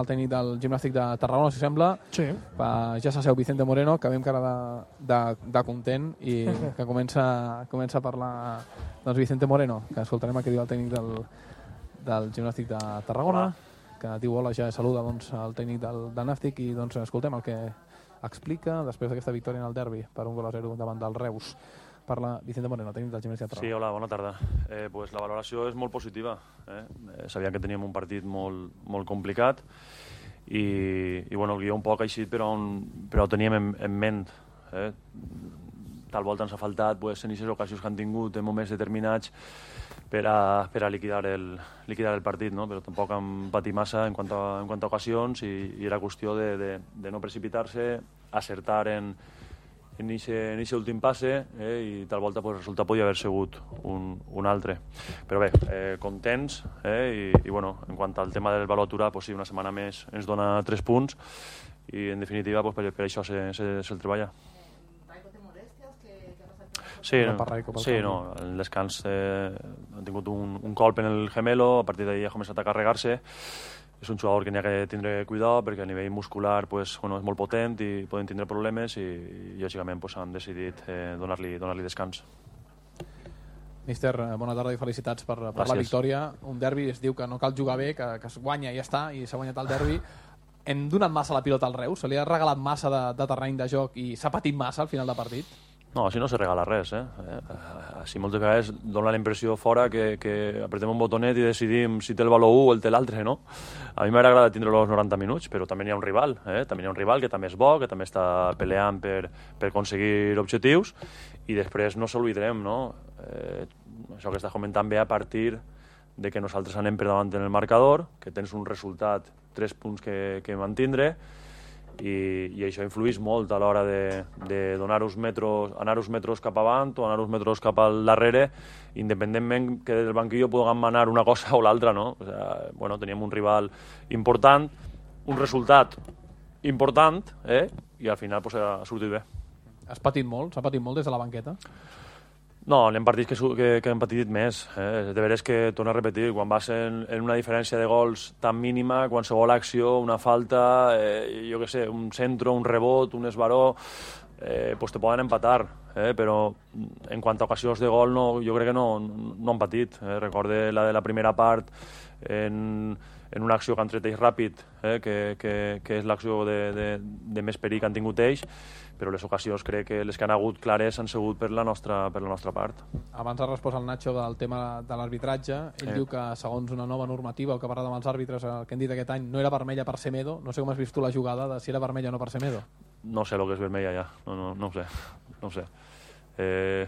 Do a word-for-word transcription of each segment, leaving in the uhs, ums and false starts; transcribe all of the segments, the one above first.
el tècnic del Gimnàstic de Tarragona, si sembla. Sí. Pa, ja s'asseu Vicente Moreno, que veiem cara de, de, de content i que comença, comença a parlar doncs Vicente Moreno, que escoltarem el que diu el tècnic del, del Gimnàstic de Tarragona, hola. Que diu hola, ja saluda doncs, el tècnic del, del Nàstic i doncs escoltem el que explica després d'aquesta victòria en el derbi per un gol a zero davant del Reus. Parla Vicente Moreno, tècnic del Gimnàstic de Tarragona. Sí, hola, bona tarda. Eh, pues la valoració és molt positiva. Eh? Eh, sabíem que teníem un partit molt, molt complicat i, i bueno, el guió un poc així, però, on, però ho teníem en, en ment. Eh? Tal volta ens ha faltat pues, en aquestes ocasions que han tingut en moments determinats per a, per a liquidar, el, liquidar el partit, no? Però tampoc hem patit massa en quant a, en quant a ocasions i, i era qüestió de, de, de no precipitar-se, acertar en en aquest últim passe eh, i tal volta pues, el resultat podia haver sigut un, un altre. Però bé, eh, contents eh, i, i bueno, en quant al tema del valor aturat, pues, sí, una setmana més ens dona tres punts i en definitiva pues, per, per això se, se, se'l treballa. Sí, no, sí, no, en el descans eh, han tingut un, un colp en el gemelo, a partir d'ahir ha començat a carregar-se. És un jugador que n'hi ha que tindre cuidado perquè a nivell muscular pues, bueno, és molt potent i poden tindre problemes i, i lògicament pues, han decidit eh, donar-li donar-li descans. Míster, bona tarda i felicitats per, per la victòria. Un derbi es diu que no cal jugar bé, que, que es guanya i ja està, i s'ha guanyat el derbi. Hem donat massa la pilota al Reus? Se li ha regalat massa de, de terreny de joc i s'ha patit massa al final de partit? No, així no se regala res. Eh? Així moltes vegades dona la impressió fora que, que apretem un botonet i decidim si té el valor un o el té l'altre, no? A mi m'agrada tindre-lo els noranta minuts, però també n'hi ha un rival, eh? També n'hi ha un rival que també és bo, que també està peleant per, per aconseguir objectius i després no s'oblidarem, no? Eh, això que estàs comentant ve a partir de que nosaltres anem per davant en el marcador, que tens un resultat, tres punts que, que mantindre, I, i això influeix molt a l'hora de, de donar uns metros, anar uns metres cap avant o anar uns metres cap al darrere, independentment que del banquillo puguem manar una cosa o l'altra, no? O sea, bueno, teníem un rival important, un resultat important, eh? I al final pues, ha sortit bé. Has patit molt? S'ha patit molt des de la banqueta? No, n'hem partits que, que, que hem patit més. Eh? De veres que, torno a repetir, quan vas en, en una diferència de gols tan mínima, qualsevol acció, una falta, eh, jo què sé, un centro, un rebot, un esbaró, eh, pues te poden empatar, eh? Però en quant a ocasions de gol no, jo crec que no, no han patit. Eh? Recorde la de la primera part en, en una acció que han tret ells ràpid, eh? que, que, que és l'acció de, de, de més perill que han tingut ells, però les ocasions crec que les que han hagut clares han sigut per la nostra, per la nostra part. Abans ha respost el Nacho del tema de l'arbitratge. Ell eh. diu que segons una nova normativa, el que ha parlat amb els àrbitres, el que han dit aquest any, no era vermella per Semedo. No sé com has vist tu la jugada de si era vermella o no per Semedo. No sé el que és vermella ja, no, no, no ho sé. No ho sé. Eh,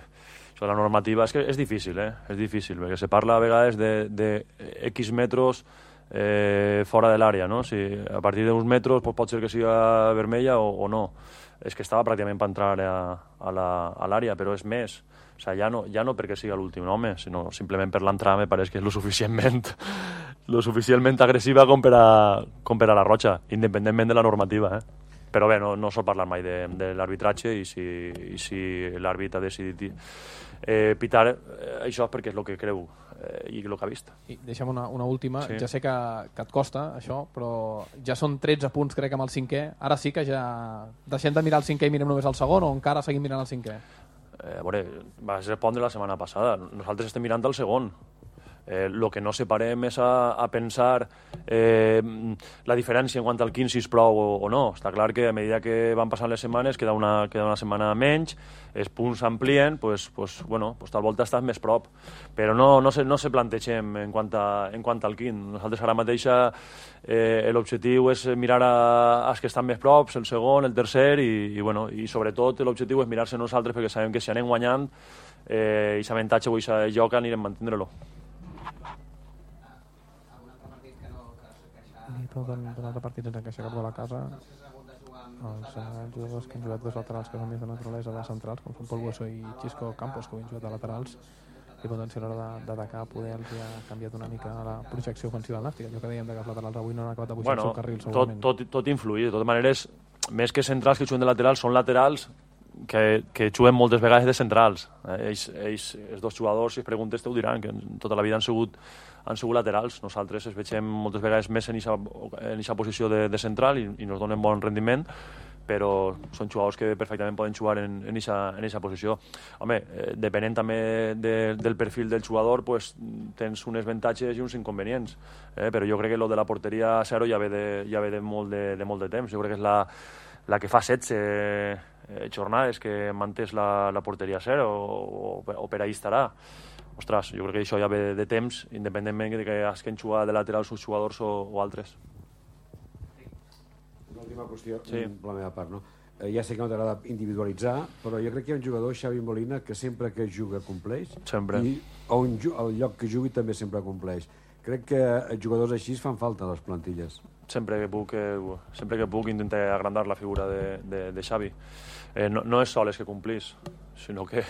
això de la normativa és que és difícil, eh? És difícil, perquè se parla a vegades de, de X metres eh, fora de l'àrea, no? Si a partir d'uns metres pues, pot ser que sigui vermella o, o no. És que estava pràcticament per entrar a l'àrea, però és més. O sigui, ja no, ja no perquè sigui l'últim home, sinó simplement per l'entrada me pareix que és lo suficientment, lo suficientment agressiva com per, a, com per a la Roja, independentment de la normativa. Eh? Però bé, no, no sol parlar mai de, de l'arbitratge i si, i si l'àrbit ha decidit eh, pitar eh, això és perquè és el que creu eh, i el que ha vist. I deixa'm una, una última. Sí. Ja sé que, que et costa això, però ja són tretze punts crec amb el cinquè. Ara sí que ja deixem de mirar el cinquè i mirem només el segon o encara seguim mirant el cinquè? Eh, a veure, vas respondre la setmana passada. Nosaltres estem mirant el segon. Eh, lo que no separem és a, a pensar eh, la diferència en quant al quinze si és prou o, o no. Està clar que a mesura que van passant les setmanes queda una, queda una setmana menys, els punts s'amplien, pues, pues, bueno, pues tal volta estàs més prop. Però no, no, se, no se plantegem en quant, a, en quant al quint. Nosaltres ara mateix eh, l'objectiu és mirar a, als que estan més props, el segon, el tercer, i, i, bueno, i sobretot l'objectiu és mirar-se nosaltres perquè sabem que si anem guanyant eh, i l'avantatge o aquest joc anirem a mantindre-lo. Un altre partit sense encaixar cap gol a casa. Els eh, jugadors que han jugat dos laterals que són més de naturalesa de centrals, com són Pol Bueso i Xisco Campos, que ho han jugat de laterals, i potenciar a l'hora d'atacar poder els ha canviat una mica la projecció ofensiva del Nàstic. Allò que dèiem que els laterals avui no han acabat de pujar bueno, el seu carril segurament. Tot, tot, tot influït. De totes maneres, més que centrals que juguen de laterals, són laterals que, que juguen moltes vegades de centrals. Eh? Ells, ells, els dos jugadors, si es preguntes, te ho diran, que tota la vida han sigut han sigut laterals. Nosaltres es veiem moltes vegades més en aquesta posició de, de central i, i nos donen bon rendiment, però són jugadors que perfectament poden jugar en aquesta posició. Home, eh, depenent també de, del perfil del jugador, pues, tens uns avantatges i uns inconvenients, eh? Però jo crec que lo de la porteria a zero ja ve de, ja ve de, molt de, de molt de temps. Jo crec que és la, la que fa setze eh, jornades que mantés la, la porteria a zero o, o, o per ahí estarà. Ostres, jo crec que això ja ve de, de temps, independentment de que hagin jugat de laterals uns jugadors o, o altres. Una última qüestió, sí. Per la meva part, no? Eh, ja sé que no t'agrada individualitzar, però jo crec que hi ha un jugador, Xavi Molina, que sempre que juga compleix. Sempre. I on, el lloc que jugui també sempre compleix. Crec que jugadors així fan falta a les plantilles. Sempre que puc, eh, sempre que puc intentar agrandar la figura de, de, de Xavi. Eh, no, no és sols que complís, sinó que,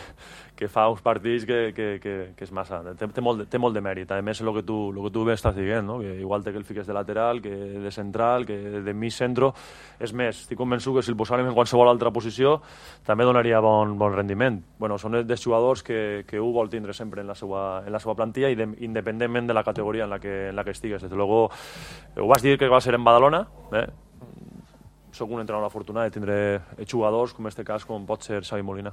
que fa uns partits que, que, que, que és massa. Té, té, molt, té molt de mèrit. A més, el que tu, el que tu estàs dient, no? Que igual té que el fiques de lateral, que de central, que de mig centro. És més, estic convençut que si el posàrem en qualsevol altra posició també donaria bon, bon rendiment. Bueno, són dels jugadors que, que ho vol tindre sempre en la seva, en la seva plantilla i de, independentment de la categoria en la que, en la que estigues. Des de luego, ho vas dir que va ser en Badalona, eh? Soc un entrenador afortunat de tindre jugadors, com en aquest cas, com pot ser Xavi Molina.